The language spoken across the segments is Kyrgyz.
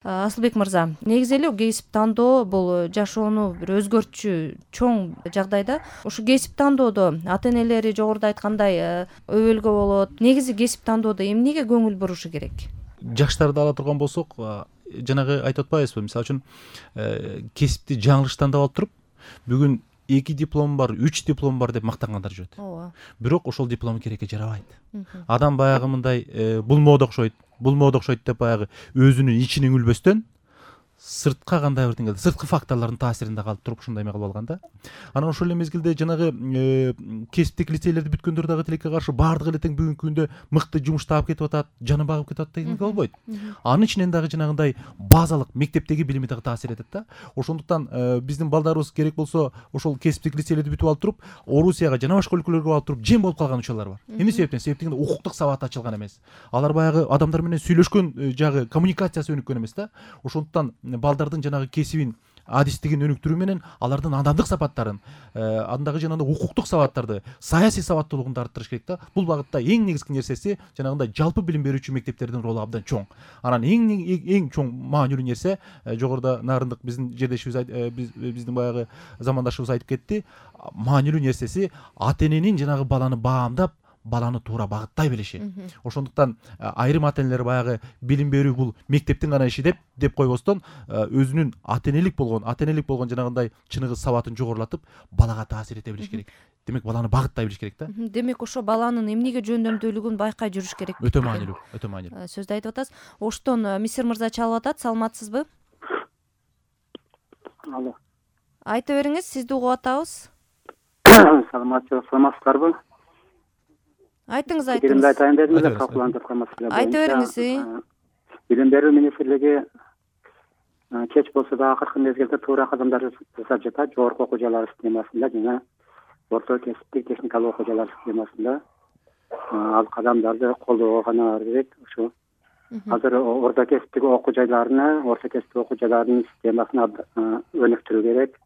Асылбек мырза, негизи эле кесип тандоо бул жашоону бир өзгөртчү чоң жагдайда. Ушу кесип тандоодо ата энелери жогоруда айткандай өбөлгө болот. Негизи кесип тандоодо эмнеге көңүл бурушу керек? Жаштарды ала турган болсок, жанагы айтып атпайбызбы, мисалы үчүн кесипти жаңылыш тандап алып туруп, бүгүн 2 диплом бар, 3 диплом бар деп мактангандар жүрөт. Ооба. Бирок ошол диплом керекке жарабайт. Адам баягы мындай бул мода окшойт деп баягы өзүнүн ичине үңүлбөстөн сыртка кандай бир сырткы факторлордун таасиринде калып туруп ушундай эме кылып алган да. Анан ошол эле мезгилде жанагы кесиптик лицейлерди бүткөндөр дагы тилекке каршы баардыгы эле тең бүгүнкү күндө мыкты жумуш таап кетип атат, жанын багып кетип атат дегенге болбойт. Анын ичинен дагы жанагындай базалык мектептеги билими дагы таасир этет да. Ошондуктан биздин балдарыбыз керек болсо ошол кесиптик лицейлерди бүтүп алып туруп, Орусияга жана башка өлкөлөргө алып туруп жем болуп калган учурлар бар. Эмне себептен? Себеп дегенде укуктук сабаты ачылган эмес. Алар баягы адамдар менен сүйлөшкөн жагы коммуникациясы өнүккөн эмес да. Ошондуктан балдардын жанагы кесибин, адистигин өнүктүрүү менен алардын адамдык сапаттарын, андагы жанагы укуктук сабаттарды, саясий сабаттуулугун арттырыш керек да. Бул багытта эң негизги нерсеси жанагындай жалпы билим берүүчү мектептердин ролу абдан чоң. Анан эң чоң маанилүү нерсе, жогоруда Нарындык биздин жердешибиз биздин баягы замандашыбыз айтып кетти, маанилүү нерсеси ата эненин жанагы баланы баамдап, баланы туура багыттай билиши. Ошондуктан айрым ата энелер баягы билим берүү бул мектептин гана иши деп койбостон, өзүнүн ата энелик болгон жанагындай чыныгы сабатын жогорулатып, балага таасир эте билиш керек. Демек баланы багыттай билиш керек да. Демек ошо баланын эмнеге жөндөмдүүлүгүн байкай жүрүш керек. Өтө маанилүү. Сөздү айтып атасыз. Оштон Мисир мырза чалып атат. Саламатсызбы? Алло. Айта бериңиз, сизди угуп атабыз. Саламатсыздарбы? Айтыңыз. Пикиримди айтайын дедим эле, талкууланып аткан маселе. Айта бериңиз. Билим берүү министрлиги кеч болсо да акыркы мезгилде туура кадамдар жасап жатат. Жогорку окуу жайлары системасында жана орто кесиптик техникалык окуу жайлары системасында ал кадамдарды колдоого гана керек. Ушу азыр орто кесиптик окуу жайларынын системасын өнүктүрүү керек.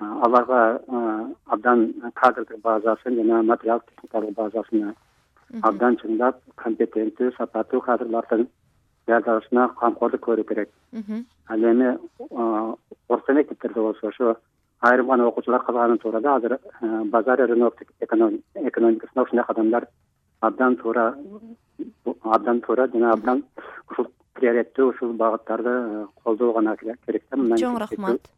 Аларга абдан кадрдык базасын жана материалдык техникалык базасын абдан чыңдап, компетенттүү, сапаттуу кадрлардын даярдалышына камкордук көрүү керек. Ал эми орто мектептерде болсо ошо айрым гана окуучулар калганы туура да. Азыр базар рынок экономикасында ушундай кадамдар абдан туура жана абдан ушул приоритеттүү ушул багыттарды колдоо гана керек да. Чоң рахмат.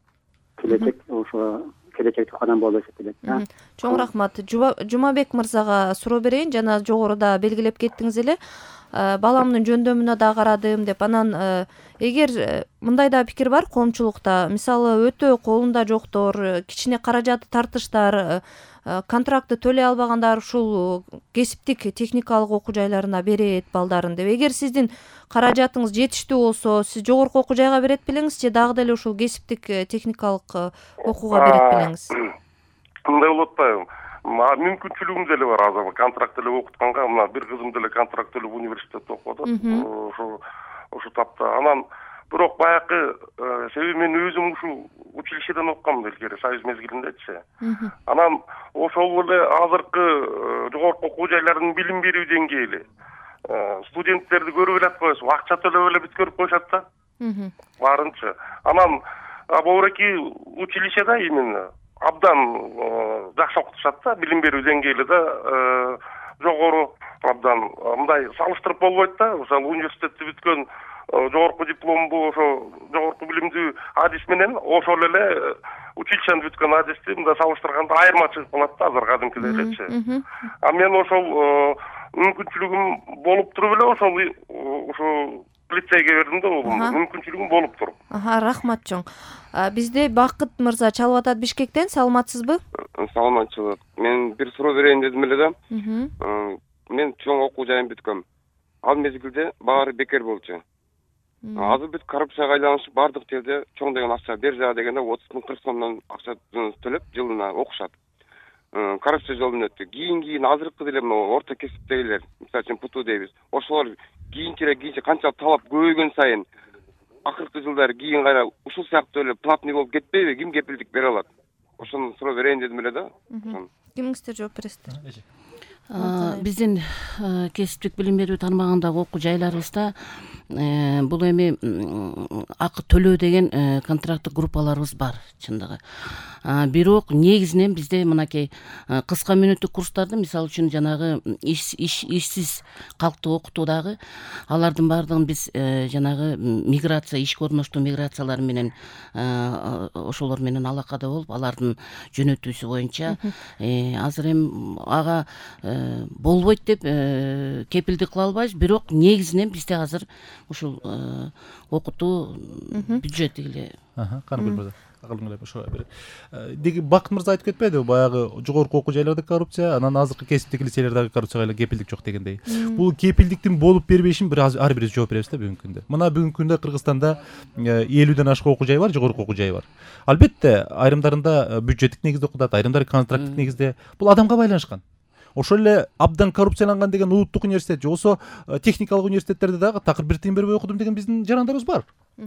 Келечектик кадам болуп эсептелет. Чоң рахмат. Жумабек мырзага суроо берейин. Жана жогоруда белгилеп кеттиңиз эле, баламдын жөндөмүнө да карадым деп. Анан эгер мындай да пикир бар коомчулукта, мисалы өтө колунда жоктор, кичине каражаты тартыштар, контрактты төлөй албагандар ушул кесиптик техникалык окуу жайларына берет балдарын деп. Эгер сиздин каражатыңыз жетиштүү болсо, сиз жогорку окуу жайга берет белеңиз же дагы деле ушул кесиптик техникалык окууга берет белеңиз? Мындай болуп атпайбы? Мүмкүнчүлүгүм деле бар. Азыр контракт деле окутканга, мына бир кызым деле контракт төлөп университетте окуп атат. Ошо тапта. Анан бирок баягы себеби мен өзүм ушул училищеден окугам илгери, союз мезгилиндечи. Анан ошол эле азыркы жогорку окуу жайларынын билим берүү деңгээли студенттерди көрүп эле атпайбызбы? Акча төлөп эле бүткөрүп коюшат да. Баарынча. Анан бобуреки училищеда именно абдан жакшы окутушат да, билим берүү деңгээли да жогору, абдан мындай салыштырып болбойт да. Мисалы университетти бүткөн жогорку дипломду, ошо жогорку билимдүү адис менен ошол эле училищени бүткөн адисти мындай салыштырганда айырмачылык болот да, азыр кадимкидей элечи. А мен ошол мүмкүнчүлүгүм болуп туруп эле ошол лицейге бердим да, мүмкүнчүлүгүм болуп туруп. Рахмат чоң. Бизде Бакыт мырза чалып атат Бишкектен. Саламатсызбы? Саламатчылык. Мен бир суроо берейин дедим эле да. Мен чоң окуу жайын бүткөм. Ал мезгилде баары бекер болчу. Азыр бүт коррупцияга айланышып, бардык жерде чоң деген акча бер жага дегенде 30 миң 40 сомдон акча төлөп жылына окушат. Коррупция жолунан өттү. Кийин азыркы деле орто кесиптегилер, мисалы үчүн ПТУ дейбиз. Ошолор кийинчерээк канча талап көбөйгөн сайын акыркы жылдары кийин кайра ушул сыяктуу эле платный болуп кетпейби? Ким кепилдик бере алат? Ошону суроо берейин дедим эле да. Кимиңиздер жооп бересиздер? Биздин кесиптик билим берүү тармагындагы окуу жайларыбызда бул эми акы төлөө деген контракттык группаларыбыз бар чындыгы. Бирок негизинен бизде мынакей кыска мүнөттүк курстарды, мисалы үчүн жанагы ишсиз калкты окутуудагы алардын баардыгын биз жанагы миграция, ишке орноштуу миграциялар менен ошолор менен алакада болуп, алардын жөнөтүүсү боюнча азыр эми ага болбойт деп кепилдик кыла албайбыз. Бирок негизинен бизде азыр ушул окутуу бюджети эле. Каныкөл мырза, акылыңыз ошого берет. Деги Бакыт мырза айтып кетпедиби, баягы жогорку окуу жайларда коррупция, анан азыркы кесиптик лицейлердеги коррупцияга кепилдик жок дегендей. Бул кепилдиктин болуп бербешин ар бирибиз жооп беребиз да бүгүнкү күндө. Мына бүгүнкү күндө Кыргызстанда 50ден ашык окуу жай бар, жогорку окуу жай бар. Албетте айрымдарында бюджеттик негизде окутат, айрымдары контракттык негизде. Бул адамга байланышкан. Ошол эле абдан коррупцияланган деген улуттук университет же болбосо техникалык университеттерде дагы такыр бир тыйын бербей окудум деген биздин жарандарыбыз бар.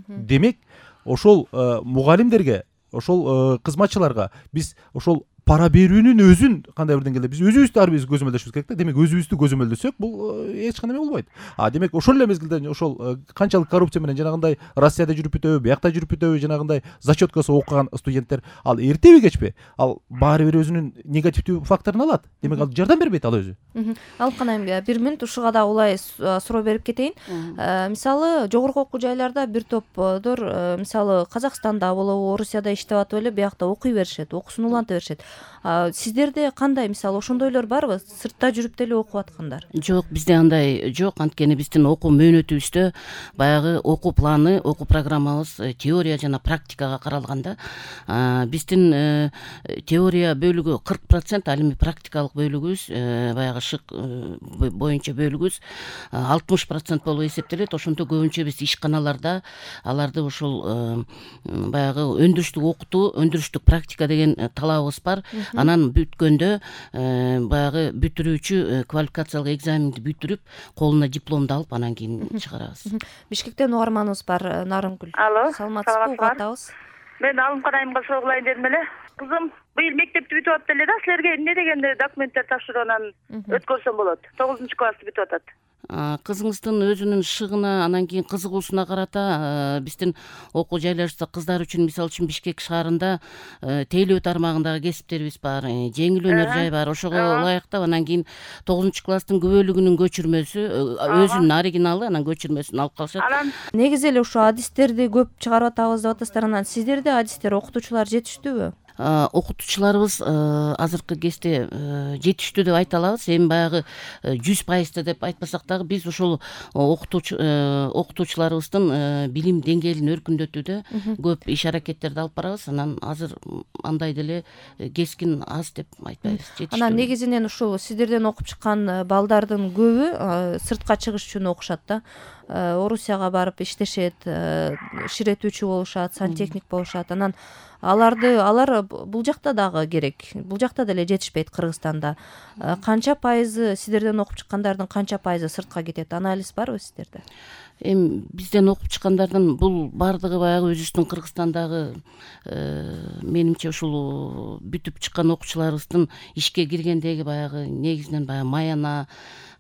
Демек ошол мугалимдерге, ошол кызматчыларга биз ошол пара берүүнүн өзүн кандай бир деңгээлде биз өзүбүздү ар бирибиз көзөмөлдөшүбүз керек да. Демек өзүбүздү көзөмөлдөсөк бул эч кандай болбойт. Демек ошол эле мезгилде ошол канчалык коррупция менен жанагындай Россияда жүрүп бүтөбү, биякта жүрүп бүтөбү, жанагындай зачеткасы окуган студенттер ал эртеби кечпи ал баары бир өзүнүн негативдүү факторун алат. Демек ал жардам бербейт ал өзү. Алып канайын, бир мүнөт ушуга да улай суроо берип кетейин. Мисалы жогорку окуу жайларда бир топдор мисалы Казакстанда болобу, Орусияда иштеп атып эле биякта окуй беришет, окуусун уланта беришет. Сиздерде кандай, мисалы ошондойлор барбы? Сыртта жүрүп деле окуп аткандар? Жок, бизде андай жок. Анткени биздин окуу мөөнөтүбүздө баягы окуу планы, окуу программабыз теория жана практикага каралган да. Биздин теория бөлүгү 40%, ал эми практикалык бөлүгүбүз баягы шык боюнча бөлүгүбүз 60% болуп эсептелет. Ошондо көбүнчө биз ишканаларда аларды ушул баягы өндүрүштүк окутуу, өндүрүштүк практика деген талабыбыз бар. Анан бүткөндө баягы бүтүрүүчү квалификациялык экзаменди бүтүрүп, колуна дипломду алып, анан кийин чыгарабыз. Бишкектен угарманыбыз бар, Нарынгүл. Алло, саламатсызбы? Угуп атабыз. Мен Алымкан айымга суроо кылайын дедим эле. Кызым быйыл мектепти бүтүп атты эле да, силерге эмне дегенде документтер тапшыруудан өткөрсөм болот? 9-классты бүтүп атат. Кызыңыздын өзүнүн шыгына, анан кийин кызыгуусуна карата биздин окуу жайларыбызда кыздар үчүн, мисалы үчүн Бишкек шаарында тейлөө тармагындагы кесиптерибиз бар, жеңил өнөр жай бар. Ошого ылайыктап анан кийин 9-класстын күбөлүгүнүн көчүрмөсү, өзүнүн оригиналы, анан көчүрмөсүн алып калышат. Негизи эле ушу адистерди көп чыгарып атабыз деп атасыздар. Анан сиздерде адистер, окутуучулар жетиштүүбү? Окутуучуларыбыз азыркы кезде жетиштүү деп айта алабыз. Эми баягы 100% деп айтпасак дагы биз ошол окутуучуларыбыздын билим деңгээлин өркүндөтүүдө көп иш аракеттерди алып барабыз. Анан азыр андай деле кескин аз деп айтпайбыз. Анан негизинен ушул сиздерден окуп чыккан балдардын көбү сыртка чыгыш үчүн окушат да. Орусияга барып иштешет, ширетүүчү болушат, сантехник болушат. Анан алар бул жакта дагы керек. Бул жакта деле жетишпейт Кыргызстанда. Канча пайызы сиздерден окуп чыккандардын канча пайызы сыртка кетет? Анализ барбы сиздерде? Эми бизден окуп чыккандардын бул баардыгы баягы өзүбүздүн Кыргызстандагы менимче ушул бүтүп чыккан окуучуларыбыздын ишке киргендеги баягы негизинен баягы маяна,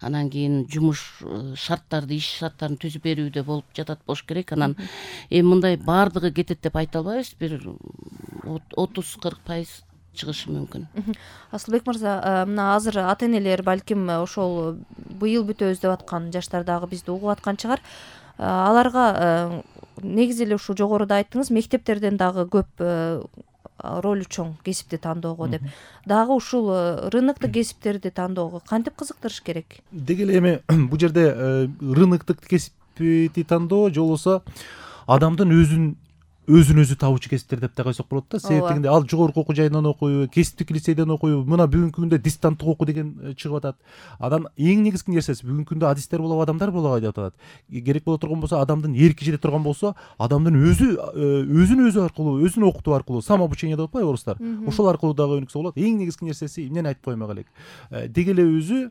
анан кийин жумуш шарттарды, иш шарттарын түзүп берүүдө болуп жатат болуш керек. Анан эми мындай баардыгы кетет деп айта албайбыз. Бир 30-40% чыгышы мүмкүн. Асылбек мырза, мына азыр ата энелер балким ошол быйыл бүтөбүз деп аткан жаштар дагы бизди угуп аткан чыгар. Аларга негизи эле ушу жогоруда айттыңыз, мектептерден дагы көп ролу чоң кесипти тандоого деп. Дагы ушул рыноктук кесиптерди тандоого кантип кызыктырыш керек? Деги эле эми бул жерде рыноктук кесипти тандоо же болбосо адамдын өзүн өзү табуучу кесиптер деп да койсок болот да. Себеп дегенде ал жогорку окуу жайынан окуйбу, кесиптик лицейден окуйбу, мына бүгүнкү күндө дистанттык окуу деген чыгып атат. Анан эң негизги нерсеси бүгүнкү күндө адистер болобу, адамдар болобу деп атат. Керек боло турган болсо, адамдын эрки жете турган болсо, адамдын өзүн аркылуу, өзүн окутуу аркылуу, самообучение деп атпайбы орустар? Ошол аркылуу дагы өнүксө болот. Эң негизги нерсеси эмнени айтып коймок элек. Деги эле өзү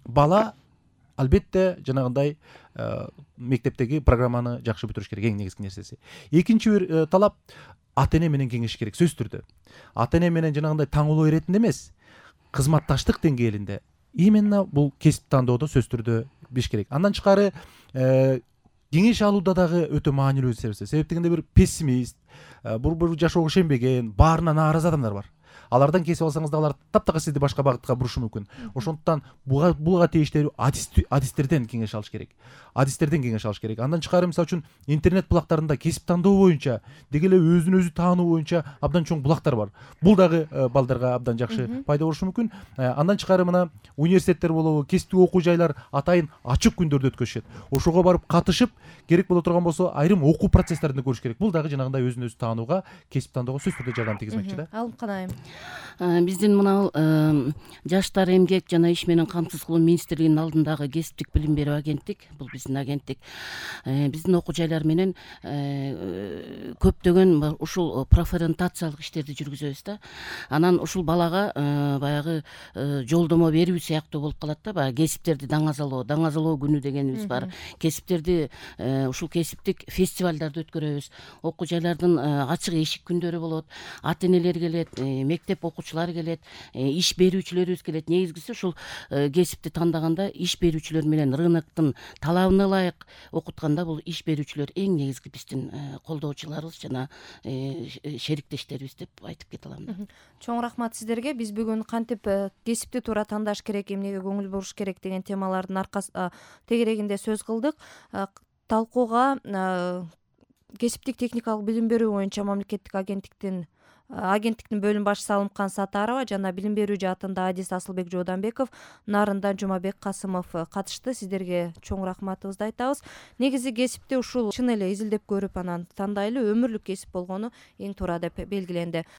бала албетте жанагындай мектептеги программаны жакшы бүтүрүш керек, эң негизги нерсеси. Экинчи бир талап ата эне менен кеңешиш керек, сөзсүз түрдө. Ата эне менен жанагындай таңылуу иретинде эмес, кызматташтык деңгээлинде именно бул кесип тандоодо сөзсүз түрдө биш керек. Андан тышкары кеңеш алууда дагы өтө маанилүү себеп дегенде бир пессимист, бур жашоого ишенбеген, баарына нааразы адамдар бар. Алардан кесип алсаңыз да алар таптакыр сизди башка багытка бурушу мүмкүн. Ошондуктан буга тийиштүү адистерден кеңеш алыш керек. Андан тышкары мисалы үчүн интернет булактарында кесип тандоо боюнча деги эле өзүн өзү таануу боюнча абдан чоң булактар бар. Бул дагы балдарга абдан жакшы пайда болушу мүмкүн. Андан тышкары мына университеттер болобу, кесиптик окуу жайлар атайын ачык күндөрдү өткөзүшөт. Ошого барып катышып, керек боло турган болсо айрым окуу процесстерин көрүш керек. Бул дагы жанагындай өзүн өзү таанууга, кесип тандоого сөзсүз түрдө жардам тийгизмекчи да. Алымкан айым. Биздин мына жаштар эмгек жана иш менен камсыз кылуу министрлигинин алдындагы кесиптик билим берүү агенттик, бул биздин агенттик, биздин окуу жайлар менен көптөгөн ушул профориентациялык иштерди жүргүзөбүз да. Анан ушул балага баягы жолдомо берүү сыяктуу болуп калат да. Баягы кесиптерди даңазалоо күнү дегенибиз бар. Кесиптерди ушул кесиптик фестивалдарды өткөрөбүз. Окуу жайлардын ачык эшик күндөрү болот. Ата энелер келет, мектеп окуучулары келет, иш берүүчүлөрүбүз келет. Негизгиси ушул кесипти тандаганда иш берүүчүлөр менен рыноктун талабына ылайык окутканда бул иш берүүчүлөр эң негизги биздин колдоочуларыбыз жана шериктештерибиз деп айтып кете алам. Чоң рахмат сиздерге. Биз бүгүн кантип кесипти туура тандаш керек, эмнеге көңүл буруш керек деген темалардын тегерегинде сөз кылдык. Талкууга кесиптик техникалык билим берүү боюнча мамлекеттик агенттиктин бөлүм башчысы Алымкан Сатарова жана билим берүү жаатында адис Асылбек Жооданбеков, нарында Жумабек Касымов катышты. Сиздерге чоң рахматыбызды айтабыз. Негизи кесипти ушул чын эле изилдеп көрүп анан тандайлы өмүрлүк кесип болгону эң туура деп белгиленди.